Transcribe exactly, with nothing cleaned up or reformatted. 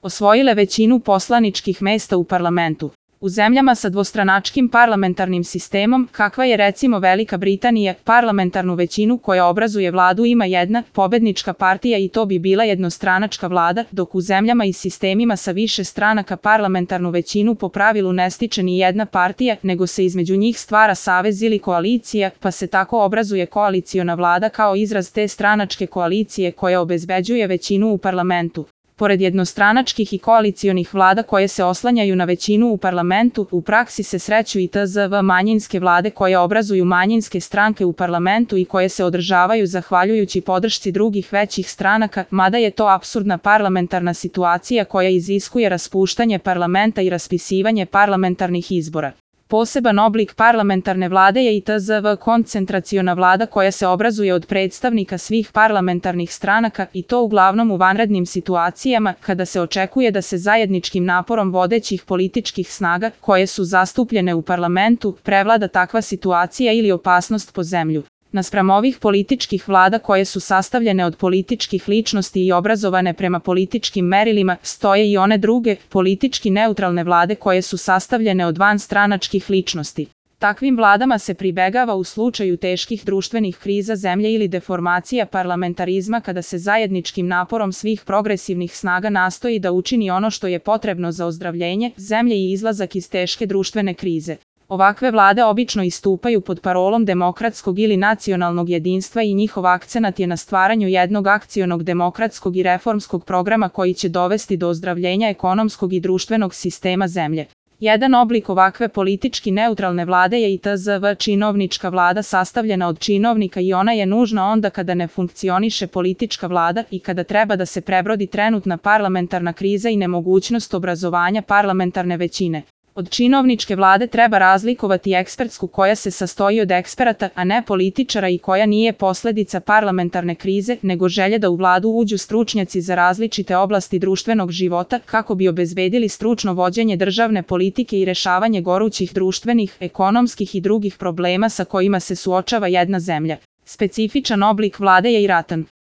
osvojile većinu poslaničkih mesta u parlamentu. U zemljama sa dvostranačkim parlamentarnim sistemom, kakva je recimo Velika Britanija, parlamentarnu većinu koja obrazuje vladu ima jedna pobednička partija i to bi bila jednostranačka vlada, dok u zemljama i sistemima sa više stranaka parlamentarnu većinu po pravilu ne stiče ni jedna partija, nego se između njih stvara savez ili koalicija, pa se tako obrazuje koaliciona vlada kao izraz te stranačke koalicije koja obezbeđuje većinu u parlamentu. Pored jednostranačkih i koalicionih vlada koje se oslanjaju na većinu u parlamentu, u praksi se sreću i tzv. Manjinske vlade koje obrazuju manjinske stranke u parlamentu i koje se održavaju zahvaljujući podršci drugih većih stranaka, mada je to apsurdna parlamentarna situacija koja iziskuje raspuštanje parlamenta i raspisivanje parlamentarnih izbora. Poseban oblik parlamentarne vlade je i tzv. Koncentraciona vlada koja se obrazuje od predstavnika svih parlamentarnih stranaka i to uglavnom u vanrednim situacijama kada se očekuje da se zajedničkim naporom vodećih političkih snaga koje su zastupljene u parlamentu prevlada takva situacija ili opasnost po zemlju. Naspram ovih političkih vlada koje su sastavljene od političkih ličnosti i obrazovane prema političkim merilima, stoje i one druge, politički neutralne vlade koje su sastavljene od vanstranačkih ličnosti. Takvim vladama se pribegava u slučaju teških društvenih kriza zemlje ili deformacija parlamentarizma kada se zajedničkim naporom svih progresivnih snaga nastoji da učini ono što je potrebno za ozdravljenje zemlje i izlazak iz teške društvene krize. Ovakve vlade obično istupaju pod parolom demokratskog ili nacionalnog jedinstva i njihov akcenat je na stvaranju jednog akcionog demokratskog i reformskog programa koji će dovesti do ozdravljenja ekonomskog i društvenog sistema zemlje. Jedan oblik ovakve politički neutralne vlade je i tzv. Činovnička vlada sastavljena od činovnika i ona je nužna onda kada ne funkcioniše politička vlada i kada treba da se prebrodi trenutna parlamentarna kriza i nemogućnost obrazovanja parlamentarne većine. Od činovničke vlade treba razlikovati ekspertsku koja se sastoji od eksperata, a ne političara i koja nije posledica parlamentarne krize, nego želje da u vladu uđu stručnjaci za različite oblasti društvenog života kako bi obezbedili stručno vođenje državne politike i rešavanje gorućih društvenih, ekonomskih i drugih problema sa kojima se suočava jedna zemlja. Specifičan oblik vlade je i ratan.